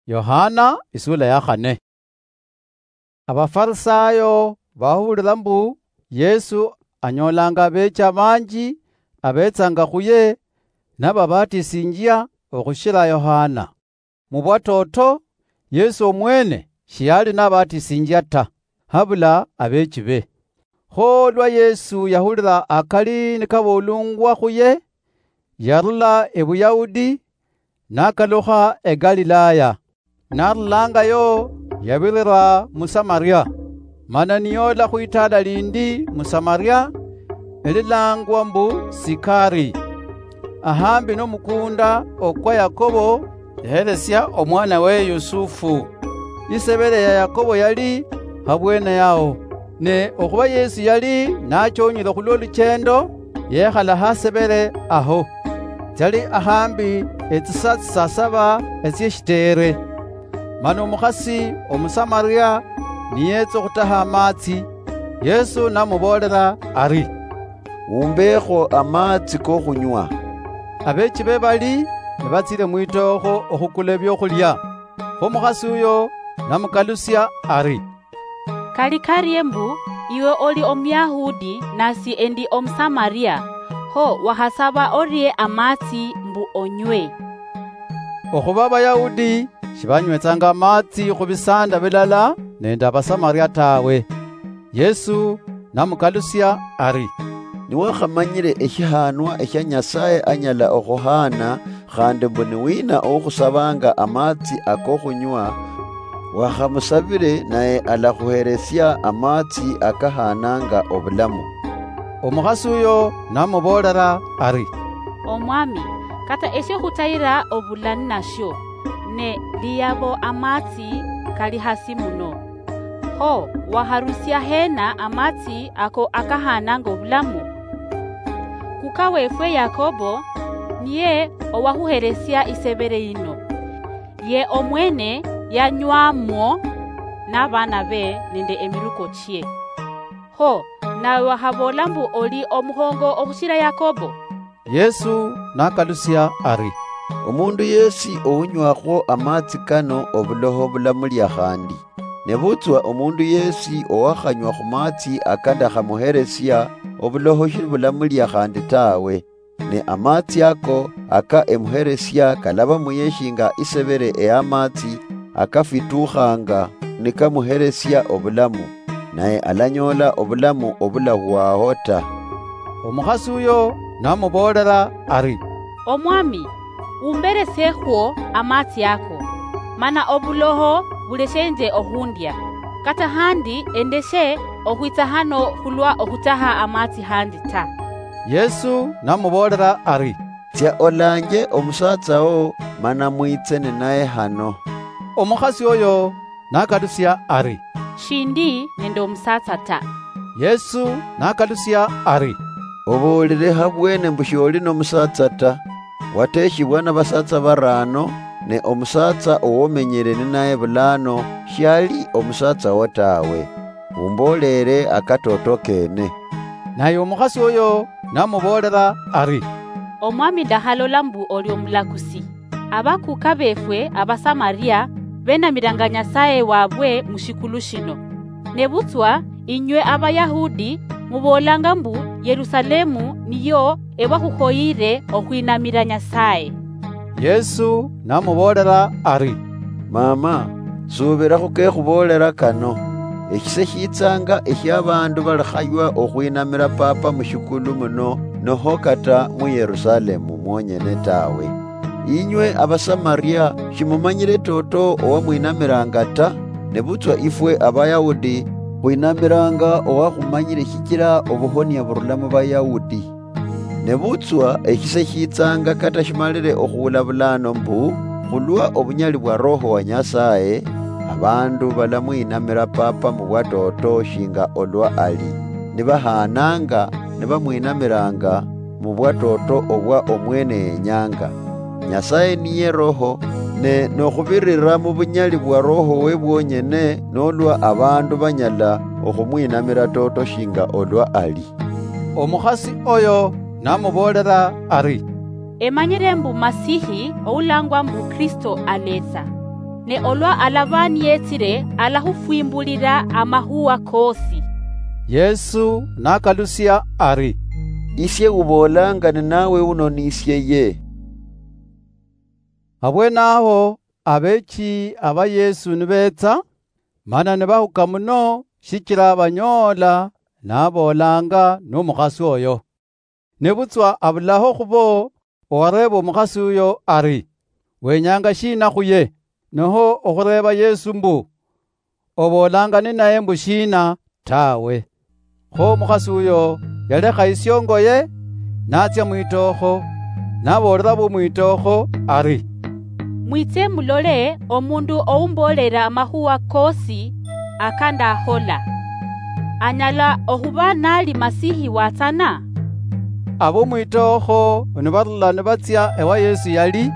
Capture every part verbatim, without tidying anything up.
Yohana, isula ya khane. Abafarisayo bahulira mbu Yesu anyolanga abeecha banji abetsanga khuye nababatisinjia okhushira Yohana. Mu bwatoto, Yesu omwene shiyali nabatisinjia ta, habula abeechibe. Kho lwa Yesu yahulira akali nikaboolungwa khuye, yarula e Buyahudi, nakalukha e Galilaya. Narulangayo, yabirira mu Samaria, mana niyoola khwitaala lindi mu Samaria, elilangwa mbu Sikari, ahambi nomukunda okwa Yakobo, yaheresia omwanawe Yusufu. Isebere ya Yakobo yali habwene yao, ne okhuba Yesu yali nachonyile khulwo luchendo, yekhala hasebere aho. Tsali ahambi etsisa tsisa saba etsieshiteere. Mana omukhasi Omusamaria niyetsa okhutaha amatsi, Yesu namuboolera ari, "Umbekho amatsi kokhunywa." Abeechibe bali nibatsile mwitookho okhukula ebiokhulia. Kho omukhasi uyo namukalusia ari, "Kali karie mbu iwe oli Omuyahudi nasi endi Omusamaria, kho wakhasaba orie amatsi mbu onywe?" Okhuba Abayahudi shibanywetsanga amatsi khubisanda bilala nende Abasamaria tawe. Yesu namukalusia ari, "Niwakhamanyile eshihanwa eshia Nyasaye anyala okhuhana, khandi mbu niwina oukhusabanga amatsi akokhunywa, wakhamusabile, naye alakhuheresia amatsi akahananga obulamu." Omukhasi uyo namuboolera ari, "Omwami, kata esio khutayira obula ninasio, ne liyabo amatsi kali hasi muno. Kho wakharusia hena amatsi ako akahananga obulamu? Kuka wefwe Yakobo niye owakhuheresia isebere yino. Ye omwene yanywamwo nabana be nende emiruko chie. Kho nawe wakhaboola mbu oli omukhongo okhushira Yakobo?" Yesu nakalusia ari, "Omundu yesi ounywakhwo amatsi kano obuloho bulamulia khandi. Nebutswa omundu yesi owakhanywa khumatsi aka ndakhamuheresia, obuloho shibulamulia khandi tawe. Ne amatsi ako aka emuheresia kalaba muye shinga isebere eyamatsi akafitukhanga nikamuheresia obulamu, naye alanyoola obulamu obulahwaho ta." Omukhasi uyo namuboolera ari, "Omwami, umberesekhwo amatsi ako, mana obuloho buleshenje okhundia, kata handi endeshe okhwitsa hano khulwa okhutaha amatsi handi ta." Yesu namuboolera ari, "Tsia olanje omusatsa wo, mana mwitse ninaye hano." Omukhasi oyo nakalusia ari, "Shindi nende omusatsa ta." Yesu nakalusia ari, "Oboolile habwene mbu shioli nomusatsa ta. Wateshibwa nabasatsa barano, ne omusatsa owomenyele ninaye bulano shiali omusatsa wo tawe. Umboolele akatoto kene." Naye omukhasi oyo namuboolera ari, "Omwami ndakhalola mbu oli omulakusi. Abakuka befwe Abasamaria benamiranga Nyasaye wabwe mushikulu shino. Nebutswa inywe Abayahudi muboolanga mbu Yerusalemu niyo ebakhukhoyire okhwinamira Nyasaye." Yesu namuboolera ari, "Mama, subira khukekhuboolera kano. Eshise shitsanga eshiabandu balikhaywa okhwinamira Papa mushikulu muno, noho kata mu Yerusalemu mwonyene tawe. Inywe Abasamaria shimumanyire toto owamwinamiranga ta, nebutswa ifwe Abayahudi khwinamiranga owakhumanyire shichira obuhonia burula mu Bayahudi. Nebutswa eshise shitsanga kata shimalire okhuula bulano mbu, khulwa obunyali bwa Roho wa Nyasaye, abandu balamwinamira Papa mubwatoto shinga olwa ali, nibahananga nibamwinamiranga mubwatoto obwa omwene yenyanga. Nyasaye niye Roho, ne nokhubirira mubunyali bwa Roho we bwonyene nolwa abandu banyala okhumwinamira toto shinga olwa ali." Omukhasi oyo namuboolera ari, "Emanyire mbu Masihi oulangwa mbu Kristo aletsa. Ne olwa alaba niyetsile, alahufwimbulila amakhuwa kosi. Yesu nakalusia ari, "Isie uboolanga ninawe uno nisie ye." Abweene aho abeechi aba Yesu nibeetsa, mana nibahuka muno, shichila banyoola naboolaanga n'omukhasi oyo. Nebutswa abulaho khubo owareeba omukhasi uyo ari, "Wenyanga shiina khuye?" Noho okhureeba Yesu mbu, "Oboolanga ninaye mbu shiina?" Tawe. Kho omukhasi uyo yalekha isyongoye, natsia mwitookho, naboolera bomwitookho ari, "Mwitse mulole omundu oumboolela amakhuwa koosi akandakhola. Anyala okhuba nali Masihi watsana?" Abomwitookho nibarula nibatsia ewa Yesu yali,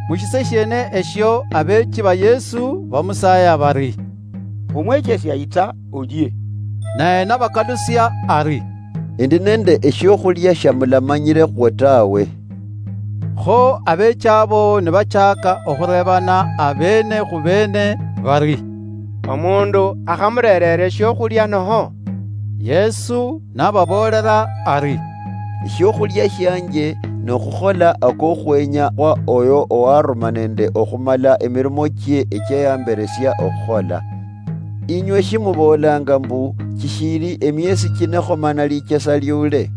mushise shiene esho abeechi ba Yesu bamusaaya bari, "Omwechesia, yitsa olie." Naye nabakalusia ari, "Endi nende eshiokhulia shia mulamanyile khwo tawe." Kho abeechi abo nibachaaka okhureebana abeene khu beene bari, "Omundu akhamureerera eshiokhulia noho?" Yesu nababoolera ari, "Eshiokhulia shianje nokhukhola akokhwenya khwa oyo owaruma nende okhumala emirimo chie echiayamberesia okhukhola. Inywe shimuboolanga mbu, 'Chishili emiesi chine khomana lichesa liule'?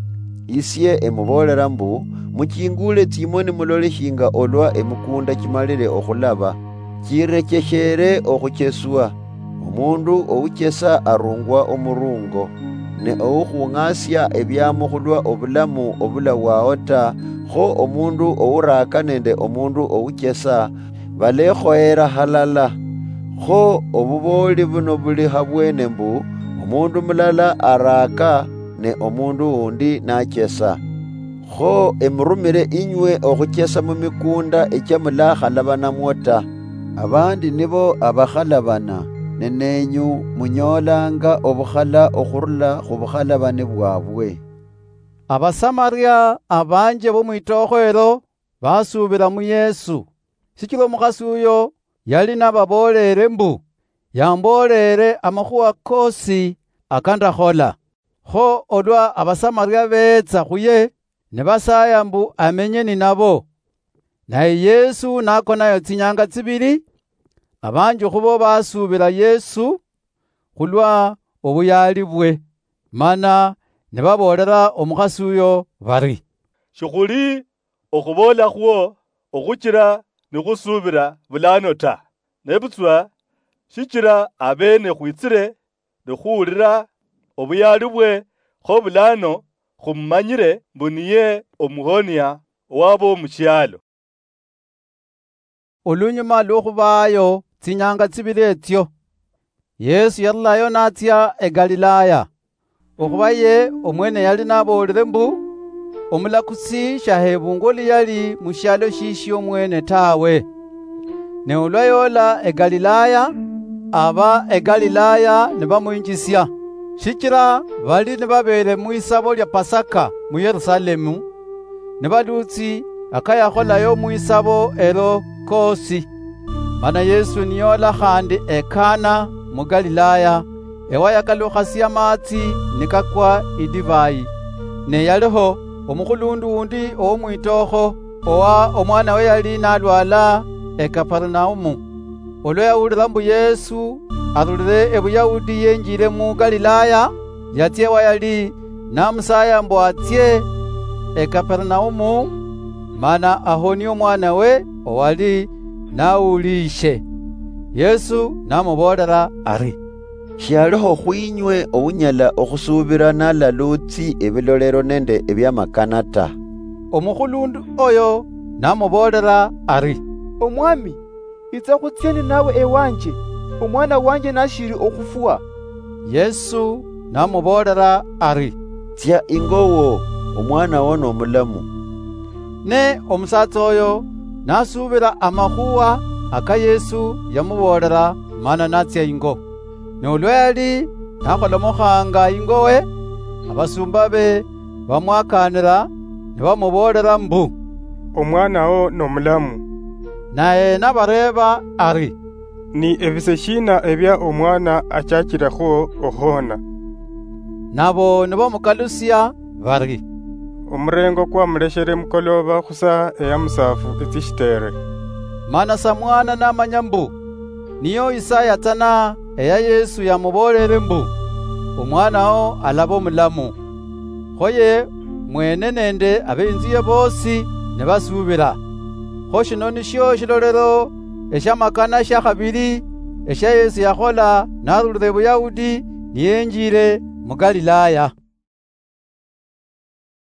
Isie emuboolera mbu, muchingule tsimoni mulole shinga olwa emikunda chimalile okhulaba, chirecheshere okhucheswa. Omundu ouchesa arungwa omurungo, ne oukhung'asia ebiamo khulwa obulamu obulawao ta, kho omundu ouraaka nende omundu ouchesa balekhoyera halala. Kho obubooli buno buli habwene mbu, omundu mulala araaka, ne omundu undi nachesa. Kho emurumire inywe okhuchesa mumikunda echia mulakhalabanamwo ta. Abandi nibo abakhalabana, ne nenyu munyoolanga obukhala okhurula khubukhalabani bwabwe." Abasamaria abanji bomwitookho elo basuubila mu Yesu, shichila omukhasi uyo yali nababooleere mbu, "Yambooleere amakhuwa koosi akandakhola." Kho olwa Abasamaria beetsa khuye, nibasaaya mbu amenye ninabo. Naye Yesu nakonayo tsinyanga tsibili, abanji khubo basuubila Yesu khulwa obuyaali bwe, mana nibaboolera omukhasi uyo bari, "Shikhuli okhuboola khwo okhuchila nikhusuubila bulano ta, nebutswa shichila abeene khwitsile nikhuwulila obuyaali bwe, kho bulano khumumanyile mbu niye omuhonia owabo mushialo." Olunyuma lwokhubaayo tsinyanga tsibili etsio, Yesu yarulayo natsia e Galilaya. Okhuba ye omwene yali naboolile mbu, omulakusi shahebungwa oluyali mushialo shishio omwene tawe. Ne olwa yoola e Galilaya, aba e Galilaya nibamwinjisia, shichila bali nibabeele mwisabo lia Pasaka mu Yerusalemu, nibaluutsi akayakholayo mwisabo elo koosi. Mana Yesu niyoola khandi e Kana mu Galilaya, ewayakalukhasia maatsi nikakwa idivai. Ne yaliho omukhulundu undi owomwitookho, owa omwanawe yali nalwala e Kapernaum. Olwa yawulila mbu Yesu arulile e Buyahudi yenjile mu Galilaya, yatsia ewa yali namusaaya mbu atsie e Kapernaum, mana ahonie omwanawe owali nawuliishe. Yesu namuboolela ari, "Shialiho khwinywe ounyala okhusuubila nalaluutsi ebilolero nende ebiamakana ta." Omukhulundu oyo namuboolela ari, "Omwami, itsa khutsie ninawe ewanje, omwana wanje nashili okhufwa." Yesu namuboolela ari, "Tsia ingo wo, omwanawo nomulamu." Ne omusatsa oyo nasuubila amakhuwa aka Yesu yamuboolela, mana natsia ingo. Ne olwa yali nakholomokhanga ingowe, abasumbabe bamwakaanila, nibamuboolela mbu, "Omwanawo nomulamu." Naye nabareeba ari, Ni ebise shiina ebia omwana achachilekhwo okhuhona? Nabo nibamukalusia bari, omurengo kwamuleshere mukoloba khusa eya musafu etsishiteere. Mana samwana namanya mbu niyo Isaya tsana eya Yesu yamuboolere mbu, omwanawo alaba omulamu. Khoye mwene nende abeinzuye bosi nibasuubira. Kho shino nisho shilolero eshamakana shakhabili esha Yesu yakhola narulire Buyahudi niyenjire mu Galilaya.